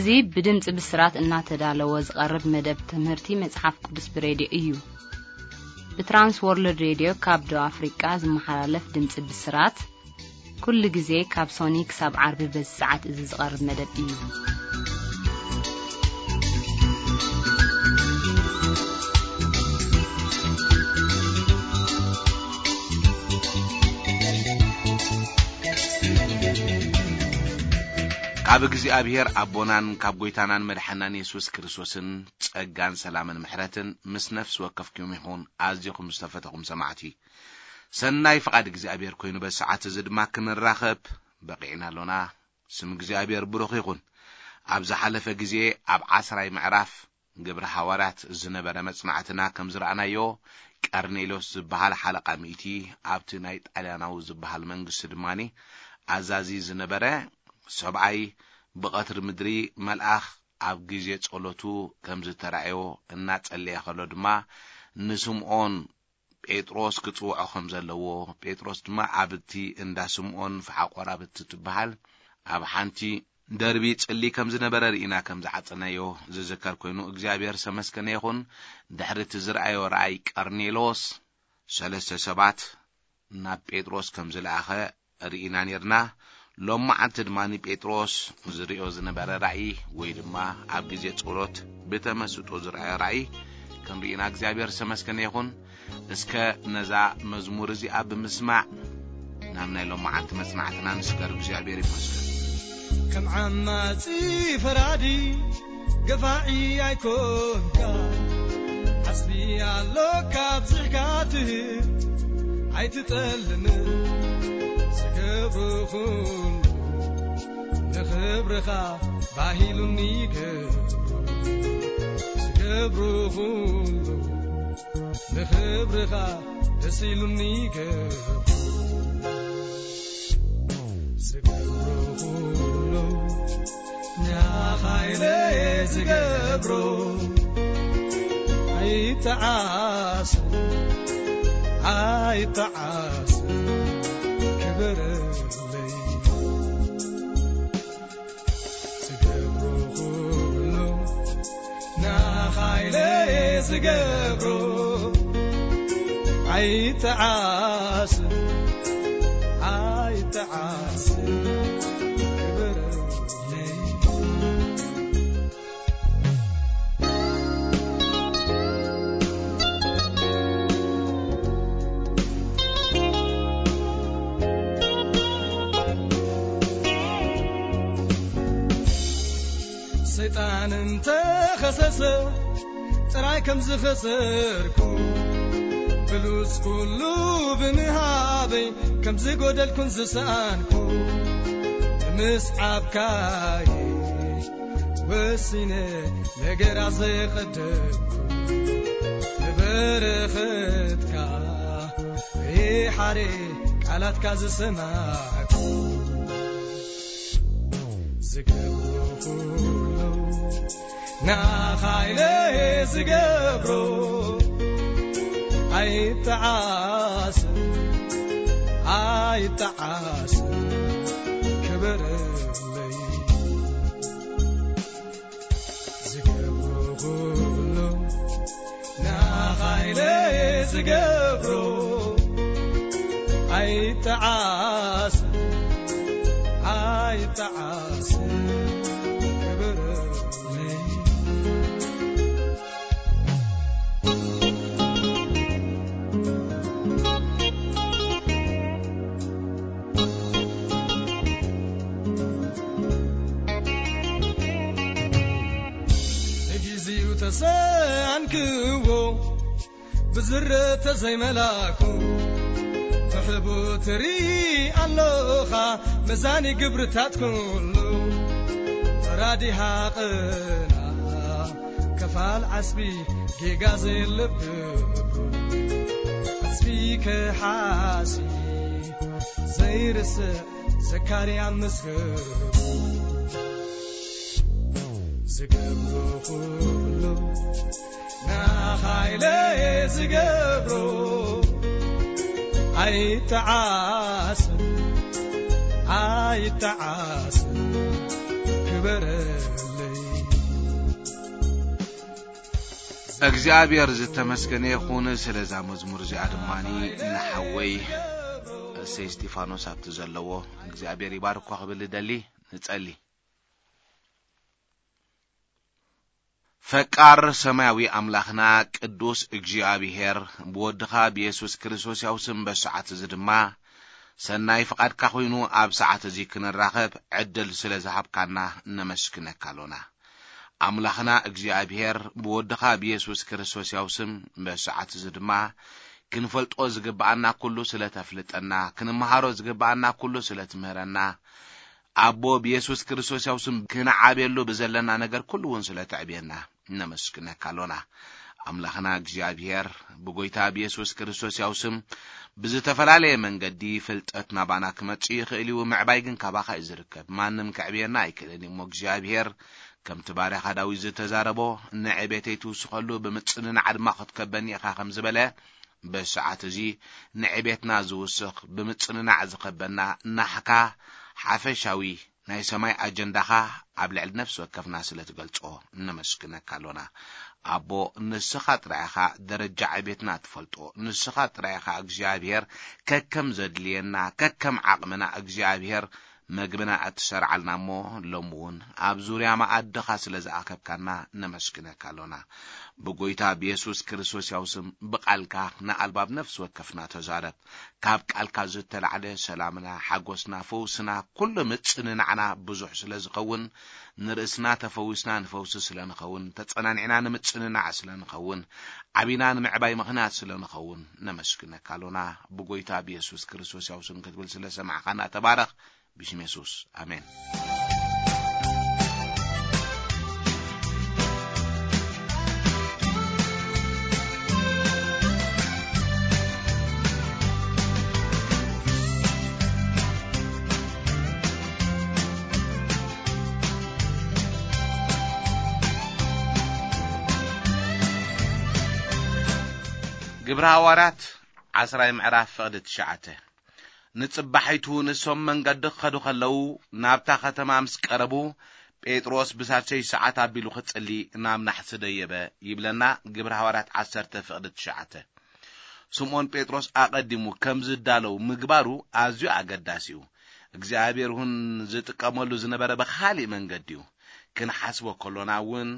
እዚ ብድምጺ ብስራት እናተዳለወ ዝቐርብ መደብ ትምህርቲ መጽሓፍ ቅዱስ ብሬድዮ እዩ። ብትራንስ ወርልድ ሬድዮ ካብ ደቡብ ኣፍሪቃ ዝመሓላለፍ ድምጺ ብስራት፣ ኩሉ ግዜ ካብ ሶኒ ክሳብ ዓርቢ በዚ ሰዓት እዚ ዝቐርብ መደብ እዩ። ካብ እግዚኣብሔር ኣቦናን ካብ ጐይታናን መድሓናን የሱስ ክርስቶስን ጸጋን ሰላምን ምሕረትን ምስ ነፍሲ ወከፍኩም ይኹን። ኣዚኹም ዝተፈተኹም ሰማዕቲ፣ ሰናይ ፍቓድ እግዚኣብሔር ኮይኑ በዚ ሰዓት እዚ ድማ ክንራኸብ በቒዕና ኣሎና። ስም እግዚኣብሔር ብሩኽ ይኹን። ኣብ ዝሓለፈ ግዜ ኣብ ዓስራይ ምዕራፍ ግብሪ ሃዋርያት ዝነበረ መጽናዕትና ከም ዝረኣናዮ፣ ቀርኔሎስ ዝበሃል ሓለቓ ሚእቲ ኣብቲ ናይ ጣልያናዊ ዝበሃል መንግስቲ ድማ ኣዛዚ ዝነበረ ሰብኣይ፣ ብቐትሪ ምድሪ መልኣኽ ኣብ ግዜ ጸሎቱ ከም ዝተራእዮ እናጸለየ ከሎ ድማ ንስምዖን ጴጥሮስ ክጽውዖ ከም ዘለዎ፣ ጴጥሮስ ድማ ኣብቲ እንዳ ስምዖን ፈሓ ቆራብት ትበሃል ኣብ ሓንቲ ደርቢ ጽሊ ከም ዝነበረ ርኢና ከም ዝዓጸናዮ ዝዝከር ኮይኑ፣ እግዚኣብሔር ዝተመስገነ ይኹን። ድሕሪ እቲ ዝረኣዮ ራእይ ቀርኔሎስ ሰለስተ ሰባት ናብ ጴጥሮስ ከም ዝለኣኸ ርኢና ኔርና። ሎማዓንቲ ድማ ንጴጥሮስ ዝርእዮ ዝነበረ ራእይ ወይ ድማ ኣብ ግዜ ጸሎት ብተመስጦ ዝረኣዮ ራእይ ክንርኢና እግዚኣብሔር ዝተመስገነ ይኹን። እስከ ነዛ መዝሙር እዚኣ ብምስማዕ ናብ ናይ ሎማዓንቲ መጽናዕትና ንስገር። እግዚኣብሔር ይመስገን። ከም ዓማጺ ፈራዲ ገፋዒ ኣይኮንካ፣ ዓስቢ ኣሎካ ኣብዚሕካ ትህብ ኣይትጠልምን። ዝገብሮ ኩሉ ንኽብርኻ ባሂሉኒ ገብሮ። ዝገብሮ ኩሉ ንኽብርኻ ደስ ኢሉኒ ገብሮ። ዝገብሮ ኩሉ ንዓኻ ኢለ ዝገብሮ። ኣይተዓስ፣ ኣይተዓስ፣ ክበረለይ። ዝገብሮ ኩሉ ንዓኻ ኢለ ዝገብሮ። ኣይተዓስ፣ ኣይተዓስ፣ ክበረለይ። ሰይጣን እንተኸሰሰ ጥራይ ከም ዝኸሰርኩ፣ ብሉጽ ኩሉ ብምሃበይ ከም ዝጎደልኩን ዝሰኣንኩ፣ ንምስዓብካይ ወሲነ ነገራት ዘየቐደምኩ፣ ንበረኸትካ ይሓሬ ቃላትካ ዝሰማዕኩ። ዝገብሮ ኩሉ ንዓኻ ኢለ ዝገብሮ። ኣይተዓስ፣ ኣይተዓስ፣ ክበረለይ። ዝገብሮ ኩሉ ንዓኻ ኢለ ዝገብሮ። ኣይተዓስ፣ ኣይተዓስ፣ ክበረለይ። ንግዜኡ ተሰኣንክዎ ብዝረ ተዘይመላኩ፣ ብሕቡ ትርኢ ኣሎኻ መዛኒ ግብርታት ኩሉ። ፈራዲ ሃቕና ከፋል ዓስቢ ጌጋ ዘለብሩ፣ ዓስቢ ከሓሲ ዘይርስዕ ዘካርያ መዝገቡ። ዝገብሮ ኩሉ ንዓኻ ኢለ ዝገብሮ። ኣይተዓስ፣ ኣይተዓስ፣ ክበረለይ። እግዚኣብሔር ዝተመስገነ ይኹን። ስለዛ መዝሙር እዚኣ ድማ ንሓወይ እሰይ እስጢፋኖስ ኣብቲ ዘለዎ እግዚኣብሔር ይባርኮ ክብል እደሊ። ንጸሊ። ፈቃር ሰማያዊ ኣምላኽና ቅዱስ እግዚኣብሔር፣ ብወድኻ ብየሱስ ክርስቶስ ያው ስም በሰዓት እዚ ድማ ሰናይ ፍቓድካ ኮይኑ ኣብ ሰዓት እዚ ክንራኸብ ዕድል ስለ ዝሃብካና ነመስግነካ ኣሎና። ኣምላኽና እግዚኣብሔር፣ ብወድኻ ብየሱስ ክርስቶስ ያው ስም በሰዓት እዚ ድማ ክንፈልጦ ዝግብኣና ኩሉ ስለ ተፍልጠና፣ ክንመሃሮ ዝግብኣና ኩሉ ስለ ትምህረና፣ ኣቦ ብየሱስ ክርስቶስ ያው ስም ክንዓብየሉ ብዘለና ነገር ኩሉ እውን ስለ ተዕብየና ነመስግነካ ኣሎና። ኣምላኽና እግዚኣብሔር፣ ብጎይታ ብየሱስ ክርስቶስ ያው ስም ብዝተፈላለየ መንገዲ ፍልጠት ናባና ክመጽእ ይኽእል እዩ፣ ምዕባይ ግን ካባኻ እዩ ዝርከብ። ማንም ከዕብየና ኣይክእልን እዩ። እሞ እግዚኣብሔር፣ ከምቲ ባርያኻ ዳዊት ዝተዛረቦ፣ ንዕቤተይ ትውስኸሉ ብምጽንናዕ ድማ ክትከበኒ ኢኻ ከም ዝበለ፣ በሰዓት እዚ ንዕቤትና ዝውስኽ ብምጽንናዕ ዝኸበና ናሕካ ሓፈሻዊ ናይ ሰማይ ኣጀንዳኻ ኣብ ልዕሊ ነፍሲ ወከፍና ስለ ትገልጾ ነመስግነካ ኣሎና። ኣቦ፣ ንስኻ ጥራይ ኢኻ ደረጃ ዕቤትና ትፈልጦ። ንስኻ ጥራይ ኢኻ እግዚኣብሔር ከከም ዘድልየና፣ ከከም ዓቕምና እግዚኣብሔር መግብና እትሰርዓልና እሞ፣ ሎሚ እውን ኣብ ዙርያ መኣድኻ ስለ ዝኣከብካና ነመስግነካ ኣሎና። ብጎይታ ብየሱስ ክርስቶስ ያው ስም ብቃልካ ንኣልባብ ነፍሲ ወከፍና ተዛረብ። ካብ ቃልካ ዝተላዕለ ሰላምና፣ ሓጎስና፣ ፈውስና፣ ኩሉ ምጽንናዕና ብዙሕ ስለ ዝኸውን፣ ንርእስና ተፈዊስና ንፈውሲ ስለ ንኸውን፣ ተጸናኒዕና ንምጽንናዕ ስለ ንኸውን፣ ዓቢና ንምዕባይ ምኽንያት ስለ ንኸውን ነመስግነካ ኣሎና። ብጎይታ ብየሱስ ክርስቶስ ያው ስም ክትብል ስለ ሰማዕኻና ተባረኽ። ብሽም የሱስ፣ ኣሜን። ግብረ ሃዋርያት ዓስራይ ምዕራፍ ፍቕዲ ትሽዓተ። ንጽባሒቱ ንሶም መንገዲ ክኸዱ ከለዉ፣ ናብታ ከተማ ምስ ቀረቡ፣ ጴጥሮስ ብሳልሰይ ሰዓት ኣቢሉ ክጽሊ ናብ ናሕሲ ደየበ ይብለና ግብረ ሃዋርያት ዓሰርተ ፍቕዲ ትሽዓተ። ስምዖን ጴጥሮስ ኣቐዲሙ ከም ዝዳለው ምግባሩ ኣዝዩ ኣገዳሲ እዩ። እግዚኣብሔር እውን ዝጥቀመሉ ዝነበረ ብኻሊእ መንገዲ እዩ። ክንሓስቦ ከሎና እውን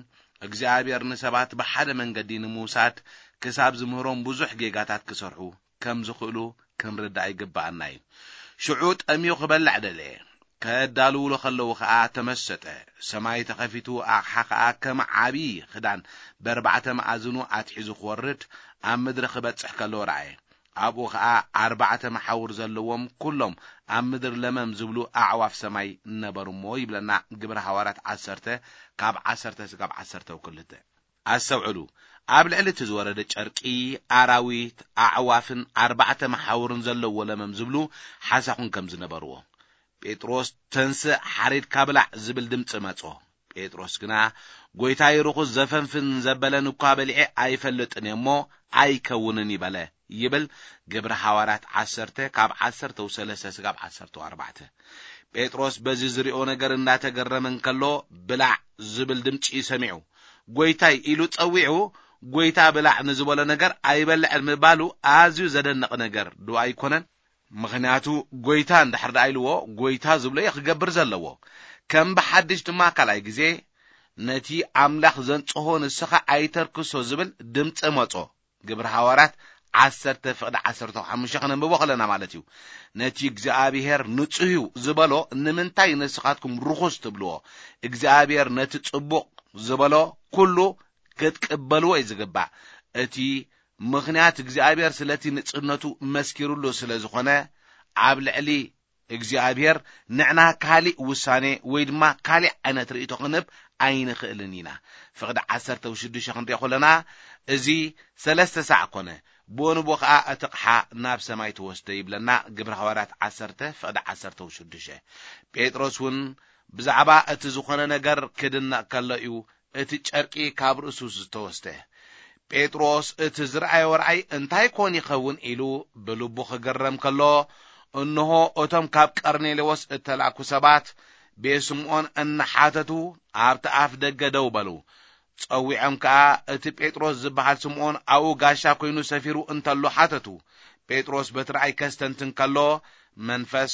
እግዚኣብሔር ንሰባት ብሓደ መንገዲ ንምውሳድ ክሳብ ዝምህሮም ብዙሕ ጌጋታት ክሰርሑ ከም ዝኽእሉ ክንርዳእ ይግብኣና እዩ። ሽዑ ጠምዩ ክበልዕ ደለየ። ከዳልውሉ ከለዉ ኸኣ ተመሰጠ። ሰማይ ተኸፊቱ፣ ኣቕሓ ኸኣ ከም ዓብዪ ኽዳን በርባዕተ መኣዝኑ ኣትሒዙ ክወርድ ኣብ ምድሪ ክበጽሕ ከሎ ረኣየ። ኣብኡ ኸኣ ኣርባዕተ መሓውር ዘለዎም ኩሎም ኣብ ምድሪ ለመም ዝብሉ ኣዕዋፍ ሰማይ ነበሩ እሞ ይብለና ግብረ ሃዋርያት ዓሰርተ ካብ ዓሰርተ ስጋብ ዓሰርተ ክልተ። ኣስተውዕሉ፣ ኣብ ልዕሊ እቲ ዝወረደ ጨርቂ ኣራዊት፣ ኣዕዋፍን ኣርባዕተ መሓውርን ዘለዎ ለመም ዝብሉ ሓሳኹን ከም ዝነበርዎ። ጴጥሮስ፣ "ተንስእ፣ ሓሪድካ ብላዕ" ዝብል ድምጺ መጾ። ጴጥሮስ ግና፣ "ጐይታይ፣ ርኹስ ዘፈንፍን ዘበለን እኳ በሊዐ ኣይፈልጥን እየ እሞ ኣይከውንን" ይበለ ይብል ግብሪ ሃዋርያት ዓሰርተ ካብ ዓሰርተ ሰለስተ ስጋብ ዓሰርተ ኣርባዕተ። ጴጥሮስ በዚ ዝሪኦ ነገር እንዳተገረመ እንከሎ፣ "ብላዕ" ዝብል ድምጺ ሰሚዑ። "ጐይታይ" ኢሉ ጸዊዑ፣ "ጐይታ ብላዕ" ንዝበሎ ነገር ኣይበልዕን ምባሉ ኣዝዩ ዘደንቕ ነገር ዶ ኣይኮነን? ምኽንያቱ፣ "ጐይታ" እንድሕር ደኣ ኢልዎ፣ "ጐይታ" ዝብሎ እዩ ክገብር ዘለዎ። ከም ብሓድሽ ድማ ካልኣይ ግዜ፣ "ነቲ ኣምላኽ ዘንጽሆ ንስኻ ኣይተርክሶ" ዝብል ድምጺ መጾ። ግብሪ ሃዋርያት ዓሰርተ ፍቕዲ ዓሰርተ ሓሙሽተ ከነንብቦ ከለና ማለት እዩ። ነቲ እግዚኣብሔር ንጹህ እዩ ዝበሎ ንምንታይ ንስኻትኩም ርኹስ ትብልዎ? እግዚኣብሔር ነቲ ጽቡቕ ዝበሎ ኩሉ ክትቅበልዎ እዩ ዝግባእ። እቲ ምኽንያት እግዚኣብሔር ስለቲ ንጽህነቱ መስኪሩሉ ስለ ዝኾነ፣ ኣብ ልዕሊ እግዚኣብሔር ንዕና ካሊእ ውሳኔ ወይ ድማ ካሊእ ዓይነት ርእይቶ ክንህብ ኣይንኽእልን ኢና። ፍቕዲ ዓሰርተ ሽዱሽተ ክንሪኦ ከለና፣ እዚ ሰለስተ ሳዕ ኮነ፣ ብኡ ንብኡ ኸኣ እቲ ኣቕሓ ናብ ሰማይ ተወስደ ይብለና ግብሪ ሃዋርያት ዓሰርተ ፍቕዲ ዓሰርተ ሽዱሽተ። ጴጥሮስ እውን ብዛዕባ እቲ ዝኾነ ነገር ክድነቕ ከሎ እዩ እቲ ጨርቂ ካብ ርእሱ ዝተወስደ። ጴጥሮስ እቲ ዝረኣዮ ራእይ እንታይ ኮን ይኸውን ኢሉ ብልቡ ክግረም ከሎ፣ እንሆ፣ እቶም ካብ ቀርኔሌዎስ እተላእኩ ሰባት ቤት ስምዖን እናሓተቱ ኣብቲ ኣፍ ደገ ደው በሉ። ጸዊዖም ከኣ እቲ ጴጥሮስ ዝበሃል ስምዖን ኣብኡ ጋሻ ኮይኑ ሰፊሩ እንተሎ ሓተቱ። ጴጥሮስ በቲ ራእይ ከስተንትን ከሎ መንፈስ፣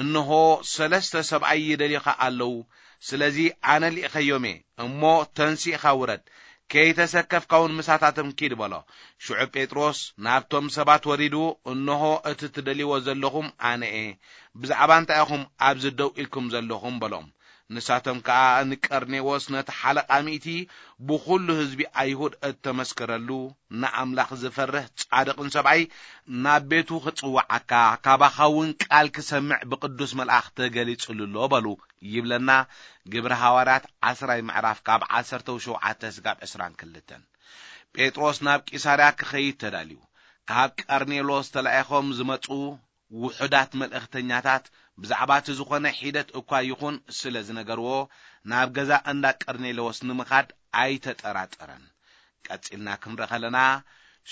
"እንሆ ሰለስተ ሰብኣይ ይደልዩኻ ኣለዉ፣ ስለዚ ኣነ ልኢኸዮም እየ፣ እሞ ተንሲእኻ ውረድ፣ ከይተሰከፍካ እውን ምሳታቶም ኪድ" በሎ። ሽዑ ጴጥሮስ ናብቶም ሰባት ወሪዱ፣ "እንሆ እቲ ትደልይዎ ዘለኹም ኣነ እየ፣ ብዛዕባ እንታይ ኢኹም ኣብዚ ደው ኢልኩም ዘለኹም?" በሎም። ንሳቶም ከኣ ንቀርኔዎስ ነቲ ሓለቓ ሚእቲ ብኹሉ ህዝቢ ኣይሁድ እተመስከረሉ ንኣምላኽ ዝፈርህ ጻድቕን ሰብኣይ ናብ ቤቱ ክጽውዓካ ካባኻ እውን ቃል ክሰምዕ ብቅዱስ መልኣኽ ተገሊጹሉ ኣሎ በሉ ይብለና። ግብሪ ሃዋርያት ዓስራይ ምዕራፍ ካብ ዓሰርተ ሸውዓተ ስጋብ ዕስራን ክልተን። ጴጥሮስ ናብ ቂሳርያ ክኸይድ ተዳልዩ። ካብ ቀርኔሎስ ተላኢኾም ዝመጹ ውሑዳት መልእኽተኛታት ብዛዕባ እቲ ዝኾነ ሒደት እኳ ይኹን ስለ ዝነገርዎ፣ ናብ ገዛ እንዳ ቀርኔሌዎስ ንምኻድ ኣይተጠራጠረን። ቀጺልና ክንርኢ ከለና፣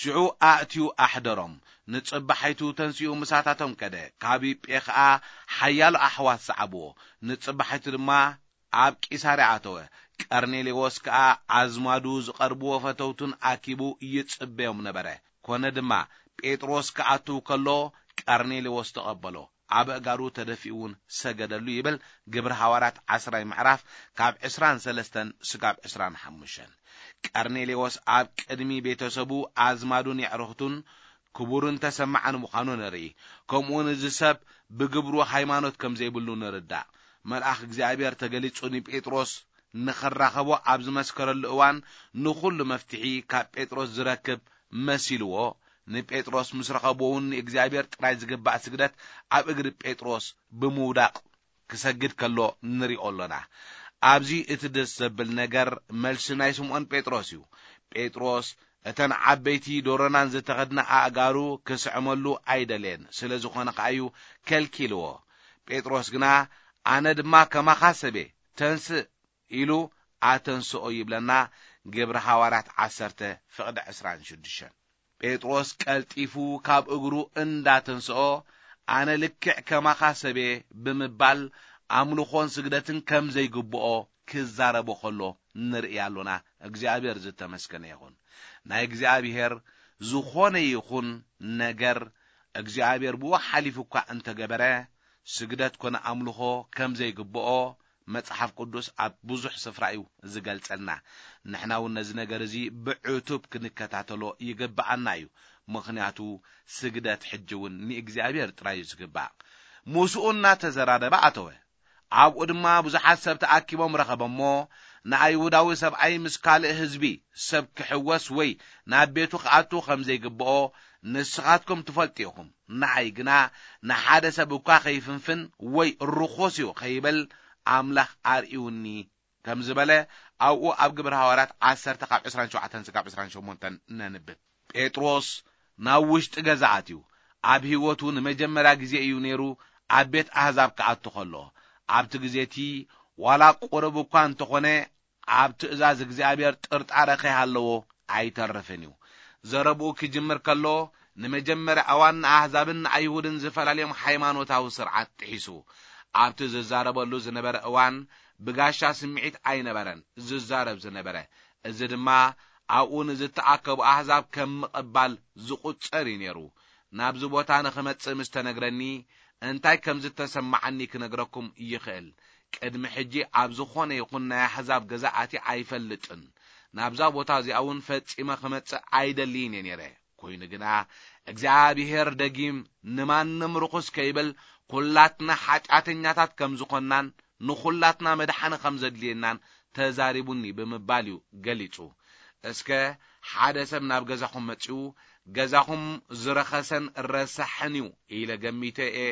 ሽዑ ኣእትዩ ኣሕደሮም። ንጽባሒቱ ተንሲኡ ምሳታቶም ከደ። ካብ ዮጴ ኸኣ ሓያሎ ኣሕዋት ሰዓብዎ። ንጽባሒቱ ድማ ኣብ ቂሳርያ ኣተወ። ቀርኔሌዎስ ከኣ ኣዝማዱ ዝቐርብዎ ፈተውቱን ኣኪቡ ይጽበዮም ነበረ። ኮነ ድማ፣ ጴጥሮስ ክኣትው ከሎ ቀርኔሌዎስ ተቐበሎ፣ ኣብ ኣእጋሩ ተደፊኡ እውን ሰገደሉ ይብል ግብሪ ሃዋርያት ዓስራይ ምዕራፍ ካብ ዕስራን ሰለስተን ስጋብ ዕስራን ሓሙሽተን። ቀርኔሌዎስ ኣብ ቅድሚ ቤተሰቡ፣ ኣዝማዱን የዕርኽቱን ክቡርን ተሰማዕን ምዃኑ ንርኢ። ከምኡውን እዚ ሰብ ብግብሩ ሃይማኖት ከም ዘይብሉ ንርዳእ። መልኣኽ እግዚኣብሔር ተገሊጹ ንጴጥሮስ ንኽራኸቦ ኣብ ዝመስከረሉ እዋን ንኹሉ መፍትሒ ካብ ጴጥሮስ ዝረክብ መሲልዎ፣ ንጴጥሮስ ምስ ረኸቦ እውን ንእግዚኣብሔር ጥራይ ዝግባእ ስግደት ኣብ እግሪ ጴጥሮስ ብምውዳቕ ክሰግድ ከሎ ንሪኦ ኣሎና። ኣብዚ እቲ ደስ ዘብል ነገር መልሲ ናይ ስምዖን ጴጥሮስ እዩ። ጴጥሮስ እተን ዓበይቲ ዶሮናን ዝተኸድና ኣእጋሩ ክስዕመሉ ኣይደለየን፣ ስለ ዝኾነ ከኣ እዩ ከልኪልዎ። ጴጥሮስ ግና፣ "ኣነ ድማ ከማኻ ሰብ'የ፣ ተንስእ" ኢሉ ኣተንስኦ ይብለና ግብሪ ሃዋርያት ዓሰርተ ፍቕዲ ዕስራን ሽዱሽተን። ጴጥሮስ ቀልጢፉ ካብ እግሩ እንዳተንስኦ፣ "ኣነ ልክዕ ከማኻ ሰብ'የ" ብምባል ኣምልኾን ስግደትን ከም ዘይግብኦ ክዛረቦ ከሎ ንርኢ ኣሎና። እግዚኣብሔር ዝተመስገነ ይኹን። ናይ እግዚኣብሔር ዝኾነ ይኹን ነገር እግዚኣብሔር ብኡ ሓሊፉ እኳ እንተገበረ፣ ስግደት ኮነ ኣምልኾ ከም ዘይግብኦ መጽሓፍ ቅዱስ ኣብ ብዙሕ ስፍራ እዩ ዝገልጸልና። ንሕና እውን ነዚ ነገር እዚ ብዕቱብ ክንከታተሎ ይግብኣና እዩ። ምኽንያቱ ስግደት ሕጂ እውን ንእግዚኣብሔር ጥራይ እዩ ዝግባእ። ምስኡ እናተዘራረበ ኣተወ። ኣብኡ ድማ ብዙሓት ሰብ ተኣኪቦም ረኸበ እሞ፣ ንኣይሁዳዊ ሰብኣይ ምስ ካልእ ህዝቢ ሰብ ክሕወስ ወይ ናብ ቤቱ ክኣቱ ከም ዘይግብኦ ንስኻትኩም ትፈልጡ ኢኹም። ንዓይ ግና ንሓደ ሰብ እኳ ከይፍንፍን ወይ ርኹስ እዩ ከይብል ኣምላኽ ኣርእዩኒ ከም ዝበለ ኣብኡ ኣብ ግብሪ ሃዋርያት ዓሰርተ ካብ ዕስራን ሸውዓተን ስጋብ ዕስራን ሸሞንተን ነንብብ። ጴጥሮስ ናብ ውሽጢ ገዛ ኣትዩ። ኣብ ህይወቱ ንመጀመርያ ግዜ እዩ ነይሩ ኣብ ቤት ኣህዛብ ክኣቱ ከሎ። ኣብቲ ግዜ እቲ ዋላ ቁሩብ እኳ እንተኾነ ኣብ ትእዛዝ እግዚኣብሔር ጥርጣረ ከይሃለዎ ኣይተርፍን እዩ። ዘረብኡ ክጅምር ከሎ ንመጀመርያ እዋን ንኣህዛብን ንኣይሁድን ዝፈላልዮም ሃይማኖታዊ ስርዓት ጥሒሱ። ኣብቲ ዝዛረበሉ ዝነበረ እዋን ብጋሻ ስምዒት ኣይነበረን ዝዛረብ ዝነበረ። እዚ ድማ ኣብኡ ንዝተኣከቡ ኣህዛብ ከም ምቕባል ዝቑጸር እዩ ነይሩ። ናብዚ ቦታ ንኽመጽእ ምስ ተነግረኒ እንታይ ከም ዝተሰማዓኒ ክነግረኩም ይኽእል። ቅድሚ ሕጂ ኣብ ዝኾነ ይኹን ናይ ኣህዛብ ገዛ ኣትየ ኣይፈልጥን። ናብዛ ቦታ እዚኣ እውን ፈጺመ ክመጽእ ኣይደልይን እየ ነይረ። ኮይኑ ግና እግዚኣብሔር ደጊም ንማንም ርኹስ ከይብል ኩላትና ሓጢኣተኛታት ከም ዝኾንናን ንኹላትና መድሓኒ ከም ዘድልየናን ተዛሪቡኒ ብምባል እዩ ገሊጹ። እስከ ሓደ ሰብ ናብ ገዛኹም መጺኡ፣ "ገዛኹም ዝረኸሰን ረሳሕን እዩ ኢለ ገሚተ እየ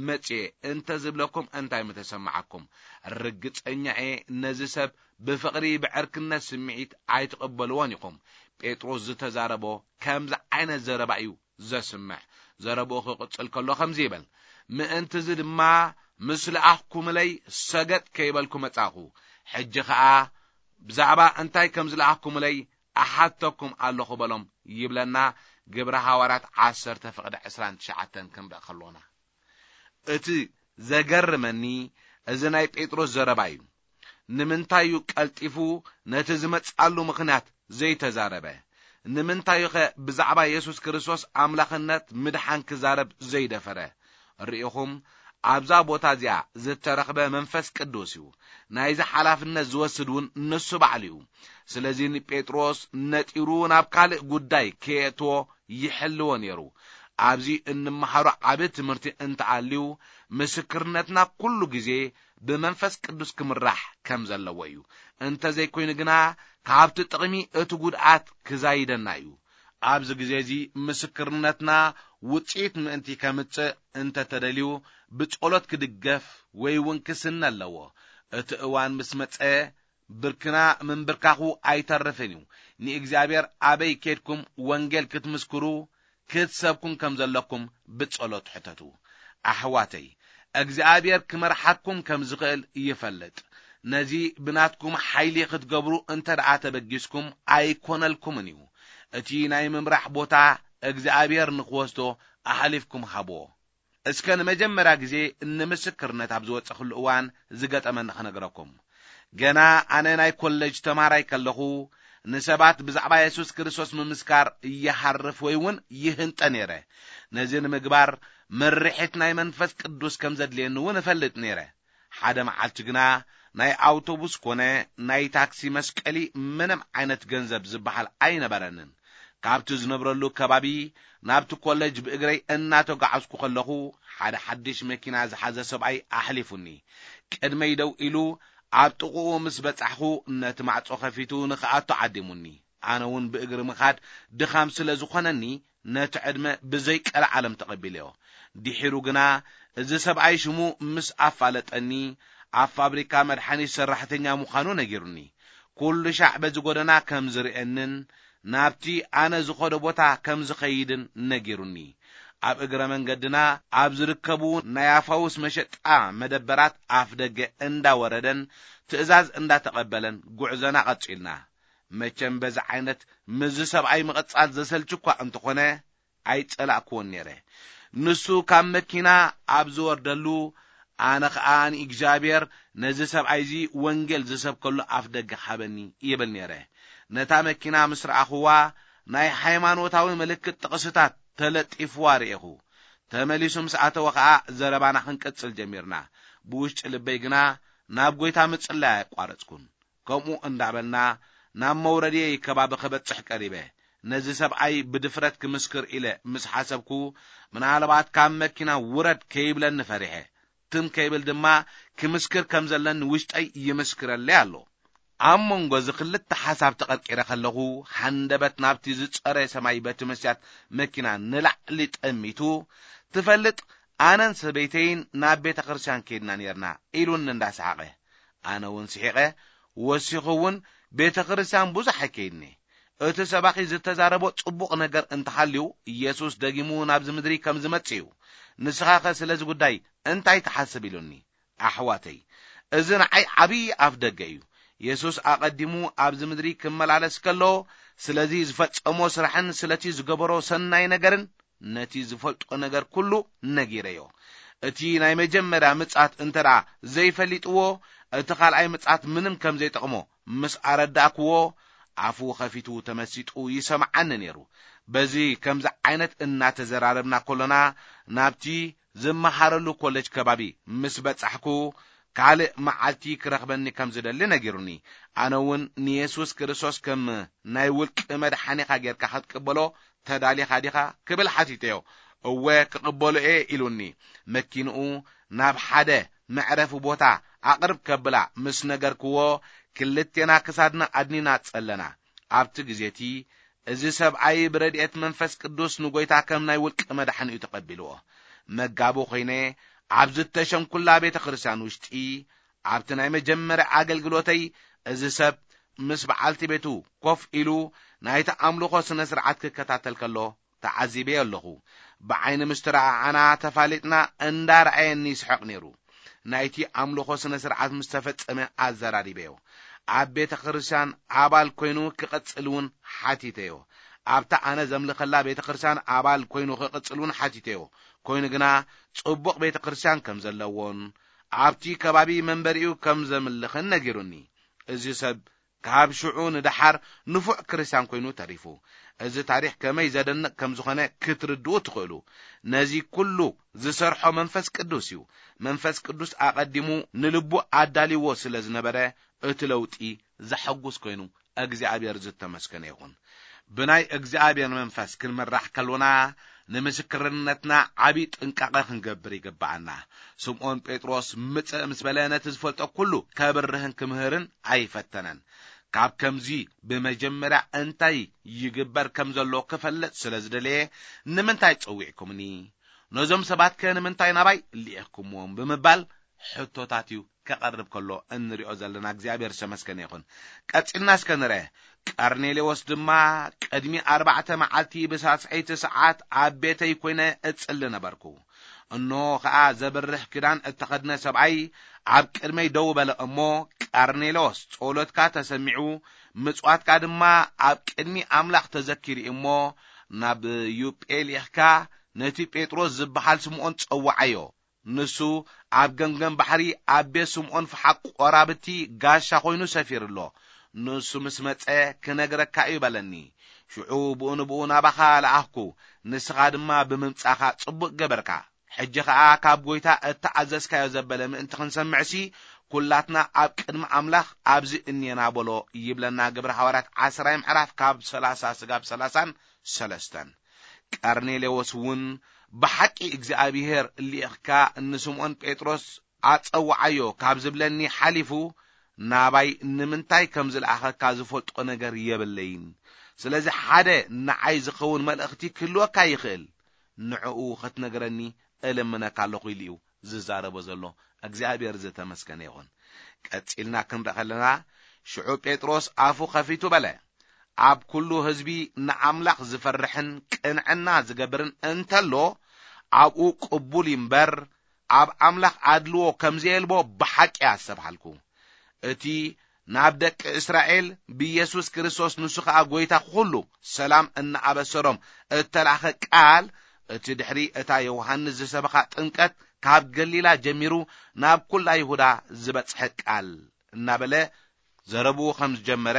መጺኤ" እንተ ዝብለኩም እንታይ ምተሰማዓኩም? ርግጸኛ እየ ነዚ ሰብ ብፍቕሪ ብዕርክነት ስምዒት ኣይትቕበልዎን ኢኹም። ጴጥሮስ ዝተዛረቦ ከምዚ ዓይነት ዘረባ እዩ ዘስምዕ። ዘረብኡ ክቕጽል ከሎ ከምዚ ይብል፣ "ምእንቲ እዚ ድማ ምስ ለኣኽኩምለይ ሰገጥ ከይበልኩ መጻኹ። ሕጂ ኸኣ ብዛዕባ እንታይ ከም ዝለኣኽኩምለይ እሓተኩም ኣለኹ" በሎም ይብለና ግብረ ሃዋርያት ዓሰርተ ፍቕዲ ዕስራን ትሽዓተን ክንርኢ ከሎና። እቲ ዘገርመኒ እዚ ናይ ጴጥሮስ ዘረባ እዩ። ንምንታይ እዩ ቀልጢፉ ነቲ ዝመጽኣሉ ምኽንያት ዘይተዛረበ? ንምንታይ እዩ ኸ ብዛዕባ የሱስ ክርስቶስ ኣምላኽነት ምድሓን ክዛረብ ዘይደፈረ? ርኢኹም፣ ኣብዛ ቦታ እዚኣ ዝተረኽበ መንፈስ ቅዱስ እዩ። ናይዚ ሓላፍነት ዝወስድ እውን ንሱ ባዕሉ እዩ። ስለዚ ንጴጥሮስ ነጢሩ ናብ ካልእ ጉዳይ ከየእትዎ ይሕልዎ ነይሩ። ኣብዚ እንመሃሮ ዓቢ ትምህርቲ እንተኣልዩ፣ ምስክርነትና ኩሉ ግዜ ብመንፈስ ቅዱስ ክምራሕ ከም ዘለዎ እዩ። እንተዘይኮይኑ ግና፣ ካብቲ ጥቕሚ እቲ ጉድኣት ክዛይደና እዩ። ኣብዚ ግዜ እዚ ምስክርነትና ውጽኢት ምእንቲ ከምጽእ እንተተደልዩ፣ ብጸሎት ክድገፍ ወይ እውን ክስነ ኣለዎ። እቲ እዋን ምስ መጸ፣ ብርክና ምንብርካኹ ኣይተርፍን እዩ። ንእግዚኣብሔር ኣበይ ኬድኩም ወንጌል ክትምስክሩ፣ ክትሰብኩን ከም ዘለኩም ብጸሎት ሕተቱ። ኣሕዋተይ፣ እግዚኣብሔር ክመርሓኩም ከም ዝኽእል ይፈልጥ። ነዚ ብናትኩም ሓይሊ ክትገብሩ እንተ ደኣ ተበጊስኩም ኣይኮነልኩምን እዩ። እቲ ናይ ምምራሕ ቦታ እግዚኣብሔር ንኽወስዶ ኣሕሊፍኩም ሃብዎ። እስከ ንመጀመርያ ግዜ ንምስክርነት ኣብ ዝወጸኽሉ እዋን ዝገጠመኒ ክነግረኩም። ገና ኣነ ናይ ኮሌጅ ተማሃራይ ከለኹ፣ ንሰባት ብዛዕባ የሱስ ክርስቶስ ምምስካር ይሃርፍ ወይ እውን ይህንጠ ነይረ። ነዚ ንምግባር ምርሒት ናይ መንፈስ ቅዱስ ከም ዘድልየኒ እውን እፈልጥ ነይረ። ሓደ መዓልቲ ግና ናይ ኣውቶቡስ ኮነ ናይ ታክሲ መስቀሊ ምንም ዓይነት ገንዘብ ዝበሃል ኣይነበረንን። ካብቲ ዝነብረሉ ከባቢ ናብቲ ኮሌጅ ብእግረይ እናተጓዓዝኩ ከለኹ፣ ሓደ ሓድሽ መኪና ዝሓዘ ሰብኣይ ኣሕሊፉኒ። ቅድመይ ደው ኢሉ፣ ኣብ ጥቕኡ ምስ በጻሕኹ፣ ነቲ ማዕጾ ከፊቱ ንኽኣቱ ዓዲሙኒ። ኣነ እውን ብእግሪ ምኻድ ድኻም ስለ ዝኾነኒ፣ ነቲ ዕድመ ብዘይ ቀልዓለም ተቐቢለዮ። ድሒሩ ግና፣ እዚ ሰብኣይ ሽሙ ምስ ኣፋለጠኒ፣ ኣብ ፋብሪካ መድሓኒት ሰራሕተኛ ምዃኑ ነጊሩኒ። ኩሉ ሻዕ በዚ ጎደና ከም ዝርእየንን ናብቲ ኣነ ዝኸዶ ቦታ ከም ዝኸይድን ነጊሩኒ። ኣብ እግረ መንገድና ኣብ ዝርከቡ ናይ ኣፋውስ መሸጣ መደበራት ኣፍ ደገ እንዳወረደን ትእዛዝ እንዳተቐበለን ጉዕዞና ቀጺልና። መቸም በዚ ዓይነት ምስዚ ሰብኣይ ምቕጻል ዘሰልች እኳ እንተኾነ፣ ኣይጸላእክዎን ነይረ። ንሱ ካብ መኪና ኣብ ዝወርደሉ፣ ኣነ ኸኣ ንእግዚኣብሔር ነዚ ሰብኣይ እዚ ወንጌል ዝሰብከሉ ኣፍ ደገ ሃበኒ ይብል ነይረ። ነታ መኪና ምስ ረኣኽዋ፣ ናይ ሃይማኖታዊ ምልክት ጥቕስታት ተለጢፍዋ ርኤኹ። ተመሊሱ ምስ ኣተወ ኸኣ ዘረባና ክንቅጽል ጀሚርና። ብውሽጢ ልበይ ግና ናብ ጐይታ ምጽላይ ኣየቋረጽኩን። ከምኡ እንዳበልና ናብ መውረድየይ ከባቢ ክበጽሕ ቀሪበ። ነዚ ሰብኣይ ብድፍረት ክምስክር ኢለ ምስ ሓሰብኩ፣ ምናልባት ካብ መኪና ውረድ ከይብለኒ ፈሪሐ። ትም ከይብል ድማ ክምስክር ከም ዘለኒ ውሽጠይ ይምስክረለይ ኣሎ። ኣብ መንጎ እዚ ክልተ ሓሳብ ተቐርቂረ ከለኹ፣ ሃንደበት ናብቲ ዝጸረ ሰማይ በቲ መስትያት መኪና ንላዕሊ ጠሚቱ፣ "ትፈልጥ፣ ኣነን ሰበይተይን ናብ ቤተ ክርስቲያን ከይድና ኔርና" ኢሉኒ እንዳሰሓቐ። ኣነ እውን ስሒቐ፣ ወሲኹ እውን ቤተ ክርስቲያን ብዙሕ ኣይከይድኒ። እቲ ሰባኺ ዝተዛረቦ ጽቡቕ ነገር እንተሃልዩ፣ ኢየሱስ ደጊሙ ናብዚ ምድሪ ከም ዝመጽእ እዩ። ንስኻኸ ስለዚ ጉዳይ እንታይ ትሓስብ? ኢሉኒ። ኣሕዋተይ፣ እዚ ንዓይ ዓብዪ ኣፍ ደገ እዩ። የሱስ ኣቐዲሙ ኣብዚ ምድሪ ክመላለስ ከሎ፣ ስለዚ ዝፈጸሞ ስራሕን ስለቲ ዝገበሮ ሰናይ ነገርን፣ ነቲ ዝፈልጦ ነገር ኩሉ ነጊረዮ። እቲ ናይ መጀመርያ ምጽኣት እንተ ደኣ ዘይፈሊጥዎ፣ እቲ ካልኣይ ምጽኣት ምንም ከም ዘይጠቕሞ ምስ ኣረዳእክዎ፣ ኣፉ ኸፊቱ ተመሲጡ ይሰምዓኒ ነይሩ። በዚ ከምዚ ዓይነት እናተዘራረብና ከሎና፣ ናብቲ ዝመሃረሉ ኮለጅ ከባቢ ምስ በጻሕኩ፣ ካልእ መዓልቲ ክረኽበኒ ከም ዝደሊ ነጊሩኒ። ኣነ እውን ንየሱስ ክርስቶስ ከም ናይ ውልቂ መድሓኒኻ ጌርካ ክትቅበሎ ተዳሊኻ ዲኻ? ክብል ሓቲተዮ። "እወ፣ ክቕበሎ እየ" ኢሉኒ። መኪንኡ ናብ ሓደ መዕረፊ ቦታ ኣቕርብ ከብላ ምስ ነገርክዎ፣ ክልቴና ክሳድና ኣድኒና ጸለና። ኣብቲ ግዜ እቲ፣ እዚ ሰብኣይ ብረድኤት መንፈስ ቅዱስ ንጐይታ ከም ናይ ውልቂ መድሓኒኡ ተቐቢልዎ። መጋቢ ኾይነ ኣብ ዝተሸምኩላ ቤተ ክርስቲያን ውሽጢ፣ ኣብቲ ናይ መጀመርያ ኣገልግሎተይ፣ እዚ ሰብ ምስ በዓልቲ ቤቱ ኮፍ ኢሉ ናይቲ ኣምልኾ ስነ ስርዓት ክከታተል ከሎ ተዓዚበዮ ኣለኹ። ብዓይኒ ምስ ተረኣኣና ተፋሊጥና እንዳረኣየኒ ይስሕቕ ነይሩ። ናይቲ ኣምልኾ ስነ ስርዓት ምስ ተፈጸመ ኣዘራሪበዮ። ኣብ ቤተ ክርስቲያን ኣባል ኮይኑ ክቕጽል እውን ሓቲተዮ። ኣብታ ኣነ ዘምልኸላ ቤተ ክርስቲያን ኣባል ኮይኑ ክቕጽል እውን ሓቲተዮ። ኮይኑ ግና ጽቡቕ ቤተ ክርስቲያን ከም ዘለዎን ኣብቲ ከባቢ መንበሪኡ ከም ዘምልኽን ነጊሩኒ። እዚ ሰብ ካብ ሽዑ ንደሓር ንፉዕ ክርስትያን ኮይኑ ተሪፉ። እዚ ታሪኽ ከመይ ዘደንቕ ከም ዝኾነ ክትርድኡ ትኽእሉ። ነዚ ኩሉ ዝሰርሖ መንፈስ ቅዱስ እዩ። መንፈስ ቅዱስ ኣቐዲሙ ንልቡ ኣዳልይዎ ስለ ዝነበረ፣ እቲ ለውጢ ዘሐጉስ ኮይኑ፣ እግዚኣብሔር ዝተመስገነ ይኹን። ብናይ እግዚኣብሔር መንፈስ ክንምራሕ ከሎና፣ ንምስክርነትና ዓቢ ጥንቃቐ ክንገብር ይግብኣና። ስምዖን ጴጥሮስ ምጽእ ምስ በለ፣ ነቲ ዝፈልጦ ኩሉ ከብርህን ክምህርን ኣይፈተነን። ካብ ከምዚ ብመጀመርያ እንታይ ይግበር ከም ዘሎ ክፈልጥ ስለ ዝደለየ፣ "ንምንታይ ጸዊዕኩምኒ? ነዞም ሰባትከ ንምንታይ ናባይ ልኢኽኩምዎም?" ብምባል ሕቶታት እዩ ከቐርብ ከሎ እንሪኦ ዘለና። እግዚኣብሔር ዝተመስገነ ይኹን። ቀጺልና እስከ ንርአ። ቀርኔሌዎስ ድማ፣ "ቅድሚ ኣርባዕተ መዓልቲ ብሳስዐይቲ ሰዓት ኣብ ቤተይ ኮይነ እጽሊ ነበርኩ። እንሆ ኸኣ ዘብርህ ክዳን እተኸድነ ሰብኣይ ኣብ ቅድመይ ደው በለ እሞ፣ 'ቀርኔሌዎስ፣ ጸሎትካ ተሰሚዑ፣ ምጽዋትካ ድማ ኣብ ቅድሚ ኣምላኽ ተዘኪሩ እዩ እሞ፣ ናብ ዮጴ ልኢኽካ ነቲ ጴጥሮስ ዝበሃል ስምዖን ጸውዓዮ። ንሱ ኣብ ገምገም ባሕሪ ኣብ ቤት ስምዖን ፈሓቕ ቈራብቲ ጋሻ ኾይኑ ሰፊሩ ኣሎ። ንሱ ምስ መጸ ክነግረካ እዩ' በለኒ። ሽዑ ብኡ ንብኡ ናባኻ ለኣኽኩ፣ ንስኻ ድማ ብምምጻኻ ጽቡቕ ገበርካ። ሕጂ ኸኣ ካብ ጐይታ እተኣዘዝካዮ ዘበለ ምእንቲ ክንሰምዕሲ፣ ኵላትና ኣብ ቅድሚ ኣምላኽ ኣብዚ እኔና በሎ" ይብለና ግብሪ ሃዋርያት ዓስራይ ምዕራፍ ካብ ሰላሳ ስጋብ ሰላሳን ሰለስተን። ቀርኔሌዎስ እውን፣ "ብሓቂ እግዚኣብሄር ልኢኽካ ንስምዖን ጴጥሮስ ኣጸውዓዮ ካብ ዝብለኒ ሓሊፉ፣ ናባይ ንምንታይ ከም ዝለኣኸካ ዝፈልጦ ነገር የብለይን። ስለዚ ሓደ ንዓይ ዝኸውን መልእኽቲ ክህልወካ ይኽእል። ንዕኡ ኽትነግረኒ እልምነካ ኣለኹ" ኢሉ እዩ ዝዛረቦ ዘሎ። እግዚኣብሔር ዝተመስገነ ይኹን። ቀጺልና ክንርኢ ከለና፣ ሽዑ ጴጥሮስ ኣፉ ኸፊቱ በለ፣ "ኣብ ኩሉ ህዝቢ ንኣምላኽ ዝፈርሕን ቅንዕና ዝገብርን እንተሎ፣ ኣብኡ ቅቡል እዩ እምበር፣ ኣብ ኣምላኽ ኣድልዎ ከም ዘየልቦ ብሓቂ ኣስተብሃልኩ። እቲ ናብ ደቂ እስራኤል ብኢየሱስ ክርስቶስ፣ ንሱ ኸኣ ጐይታ ኹሉ፣ ሰላም እናኣበሰሮም እተላእኸ ቃል፣ እቲ ድሕሪ እታ ዮሃንስ ዝሰበኻ ጥምቀት ካብ ገሊላ ጀሚሩ ናብ ኵላ ይሁዳ ዝበጽሐ ቃል" እናበለ ዘረብኡ ከም ዝጀመረ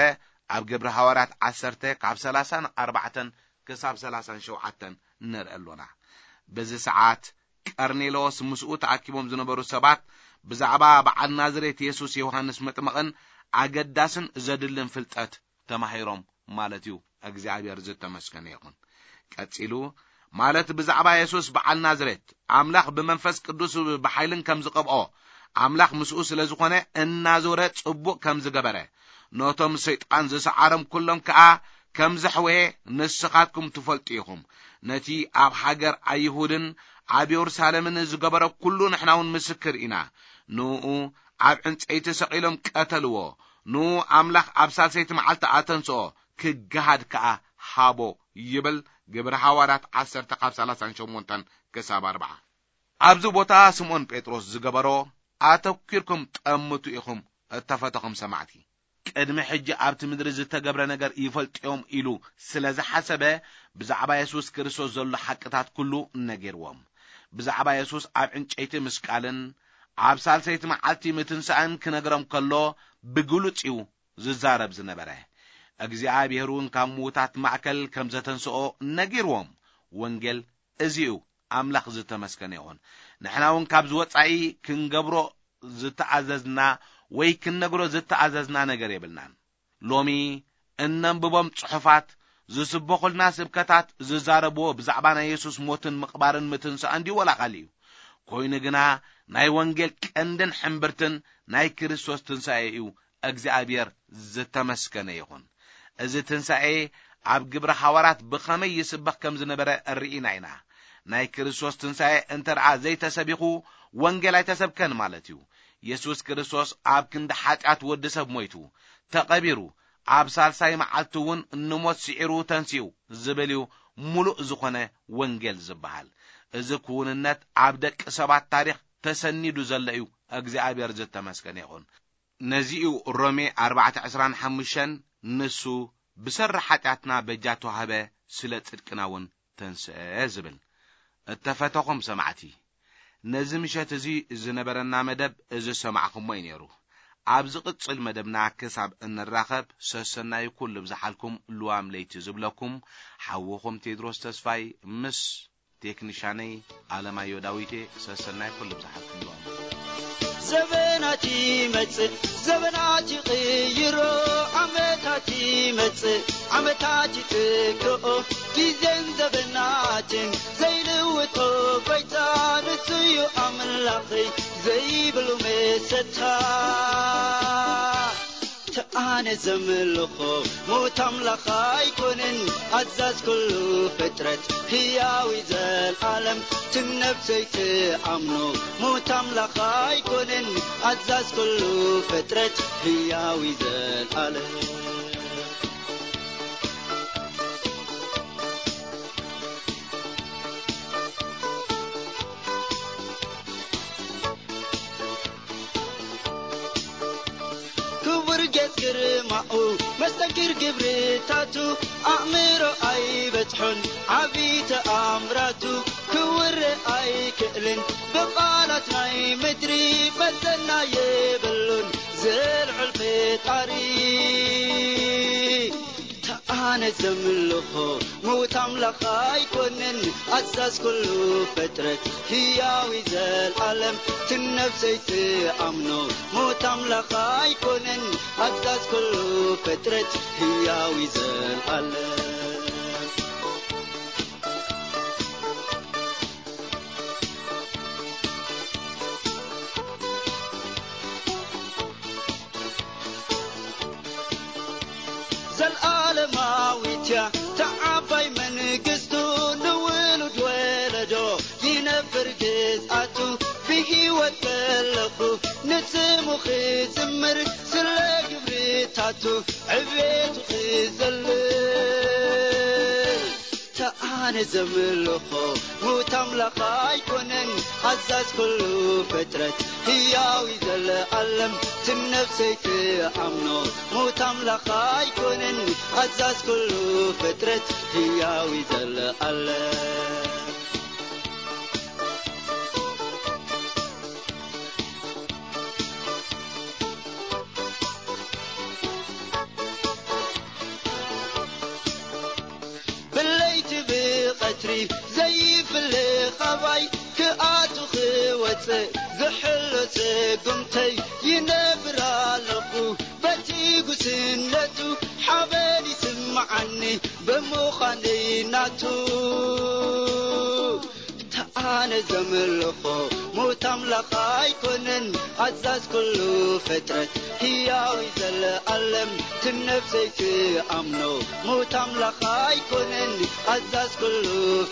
ኣብ ግብሪ ሃዋርያት ዓሰርተ ካብ ሰላሳን ኣርባዕተን ክሳብ ሰላሳን ሸውዓተን ንርኢ ኣሎና። በዚ ሰዓት ቀርኔሎስ ምስኡ ተኣኪቦም ዝነበሩ ሰባት ብዛዕባ በዓል ናዝሬት የሱስ ዮሃንስ መጥምቕን ኣገዳስን ዘድልን ፍልጠት ተማሂሮም ማለት እዩ። እግዚኣብሔር ዝተመስገነ ይኹን። ቀጺሉ፣ ማለት ብዛዕባ የሱስ በዓል ናዝሬት፣ ኣምላኽ ብመንፈስ ቅዱስ ብሓይልን ከም ዝቐብኦ፣ ኣምላኽ ምስኡ ስለ ዝኾነ እናዞረ ጽቡቕ ከም ዝገበረ፣ ነቶም ሰይጣን ዝሰዓሮም ኩሎም ከኣ ከም ዘሕወየ ንስኻትኩም ትፈልጡ ኢኹም። ነቲ ኣብ ሃገር ኣይሁድን ኣብ የሩሳሌምን ዝገበሮ ኩሉ ንሕና እውን ምስክር ኢና። ንኡ ኣብ ዕንጸይቲ ሰቒሎም ቀተልዎ። ንኡ ኣምላኽ ኣብ ሳልሰይቲ መዓልቲ ኣተንስኦ፣ ክገሃድ ከኣ ሃቦ ይብል ግብሪ ሃዋርያት ዓሰርተ ካብ ሰላሳን ሸሞንተን ክሳብ ኣርብዓ። ኣብዚ ቦታ ስምዖን ጴጥሮስ ዝገበሮ ኣተኲርኩም ጠምቱ ኢኹም፣ እተፈተኹም ሰማዕቲ። ቅድሚ ሕጂ ኣብቲ ምድሪ ዝተገብረ ነገር ይፈልጥዮም ኢሉ ስለ ዝሓሰበ፣ ብዛዕባ የሱስ ክርስቶስ ዘሎ ሓቅታት ኩሉ ነጊርዎም። ብዛዕባ የሱስ ኣብ ዕንጨይቲ ምስቃልን ኣብ ሳልሰይቲ መዓልቲ ምትንሳእን ክነግሮም ከሎ፣ ብግሉጽ እዩ ዝዛረብ ዝነበረ። እግዚኣብሔር እውን ካብ ምዉታት ማእከል ከም ዘተንስኦ ነጊርዎም። ወንጌል እዚ እዩ። ኣምላኽ ዝተመስገነ ይኹን። ንሕና እውን ካብዚ ወጻኢ ክንገብሮ ዝተኣዘዝና ወይ ክንነግሮ ዝተኣዘዝና ነገር የብልናን። ሎሚ እነንብቦም ጽሑፋት፣ ዝስበኹልና ስብከታት ዝዛረብዎ ብዛዕባ ናይ የሱስ ሞትን ምቕባርን ምትንሳእን ድዩ ወላ ካልእ እዩ? ኮይኑ ግና ናይ ወንጌል ቀንድን ሕምብርትን ናይ ክርስቶስ ትንሳኤ እዩ። እግዚኣብሔር ዝተመስገነ ይኹን። እዚ ትንሳኤ ኣብ ግብሪ ሃዋርያት ብኸመይ ይስበኽ ከም ዝነበረ ርኢና ኢና። ናይ ክርስቶስ ትንሳኤ እንተ ደኣ ዘይተሰቢኹ፣ ወንጌል ኣይተሰብከን ማለት እዩ። የሱስ ክርስቶስ ኣብ ክንዲ ሓጢኣት ወዲ ሰብ ሞይቱ፣ ተቐቢሩ፣ ኣብ ሳልሳይ መዓልቲ እውን ንሞት ስዒሩ ተንሲኡ ዝብል እዩ ምሉእ ዝኾነ ወንጌል ዝበሃል። እዚ ክውንነት ኣብ ደቂ ሰባት ታሪኽ ተሰኒዱ ዘሎ እዩ። እግዚኣብሔር ዝተመስገነ ይኹን። ነዚ እዩ ሮሜ ኣርባዕተ ዕስራን ሓሙሽተን፣ "ንሱ ብሰሪ ሓጢኣትና በጃ ተዋህበ፣ ስለ ጽድቅና እውን ተንስአ" ዝብል። እተፈተኹም ሰማዕቲ፣ ነዚ ምሸት እዚ ዝነበረና መደብ እዚ ሰማዕኹሞ እዩ ነይሩ። ኣብ ዝቕጽል መደብና ክሳብ እንራኸብ፣ ሰሰናይ ኩሉ ብዝሓልኩም ልዋም ለይቲ ዝብለኩም ሓውኹም ቴድሮስ ተስፋይ ምስ ቴክኒሻነይ ኣለማዮ ዳዊቴ። ሰሰናይ ኩሉ ብዝሓልኩም ልዋም። ዘበናት ይመጽእ፣ ዘበናት ይቕይሮ፣ ዓመታት ይመጽእ፣ ዓመታት ይትክኦ፣ ግዜን ዘበናትን ዘይልውጦ ጎይታ ንሱ እዩ ኣምላኸይ ዘይብሉ መሰታ። ኣነ ዘምልኾ ሞት ኣምላኽ ኣይኮነን፣ ኣዛዝ ኩሉ ፍጥረት ህያው እዩ ዘልኣለም። ትነብሰይ ትኣምኖ ሞት ኣምላኽ ኣይኮነን፣ ኣዛዝ ኩሉ ፍጥረት ህያው እዩ ዘልኣለም። ክቡር ጌጽ ግርማኡ፣ መስተንክር ግብርታቱ፣ ኣእምሮ ኣይበጽሖን ዓቢ ተኣምራቱ፣ ክውረ ኣይክእልን ብቓላት ናይ ምድሪ፣ መዘና የብሉን ዝልዑል ፈጣሪ። ኣነ ዘምልኾ ምዉት ኣምላኽ ኣይኮንን፣ ኣዛዝ ኩሉ ፍጥረት ህያው እዩ ዘልኣለም። ትነብሰይ ትኣምኖ ምዉት ኣምላኽ ኣይኮንን፣ ኣዛዝ ኩሉ ፍጥረት ህያው እዩ ዘልኣለም። ዘልኣለማዊት እያ ተዓባይ መንግስቱ፣ ንውሉድ ወለዶ ይነብር ግዝኣቱ። ብህይወት ከለኹ ንስሙ ክዝምር፣ ስለ ግብርታቱ ዕቤቱ ክዘልል። ኣነ ዘምልኾ ምዉት ኣምላኽ ኣይኮነን፣ ኣዛዝ ኩሉ ፍጥረት ህያው እዩ ዘለኣለም። ትነብሰይ ትኣምኖ ምዉት ኣምላኽ ኣይኮነን፣ ኣዛዝ ኩሉ ፍጥረት ህያው እዩ ዘለኣለም። ብለይቲ ብቐትሪ ዘይፍለ ኻባይ ክኣቱ ክወፅእ ዝሕሎ ስጉምተይ ይነብር ኣለኹ። በቲ ጉስነቱ ሓበን ይስምዓኒ ብምዃነይ ናቱ። ኣነ ዘምልኾ ምዉት ኣምላኽ ኣይኮነን፣ ኣዛዝ ኩሉ ፍጥረት ህያው እዩ ዘለኣለም። ትነብሰይ ትኣምኖ ምዉት ኣምላኽ ኣይኮነን፣ ኣዛዝ ኩሉ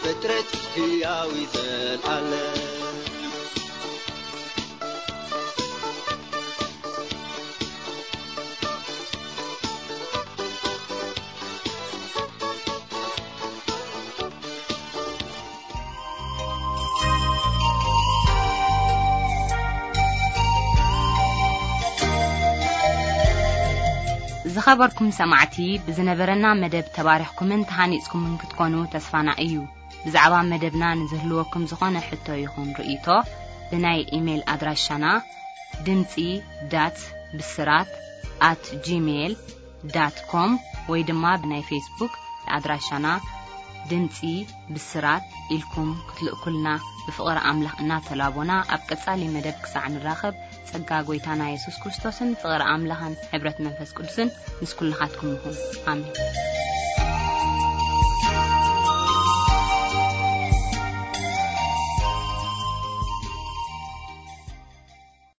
ፍጥረት ህያው እዩ ዘለኣለም። ዝኸበርኩም ሰማዕቲ፣ ብዝነበረና መደብ ተባሪኽኩምን ተሃኒጽኩምን ክትኮኑ ተስፋና እዩ። ብዛዕባ መደብና ንዝህልወኩም ዝኾነ ሕቶ ይኹን ርእይቶ፣ ብናይ ኢሜይል ኣድራሻና ድምጺ ዳት ብስራት ኣት ጂሜይል ዳት ኮም ወይ ድማ ብናይ ፌስቡክ ኣድራሻና ድምጺ ብስራት ኢልኩም ክትልእኩልና ብፍቕሪ ኣምላኽ እናተላቦና፣ ኣብ ቀጻሊ መደብ ክሳዕ ንራኸብ፣ ጸጋ ጐይታና የሱስ ክርስቶስን ፍቕሪ ኣምላኽን ሕብረት መንፈስ ቅዱስን ምስ ኩልኻትኩም ይኹን። ኣሜን።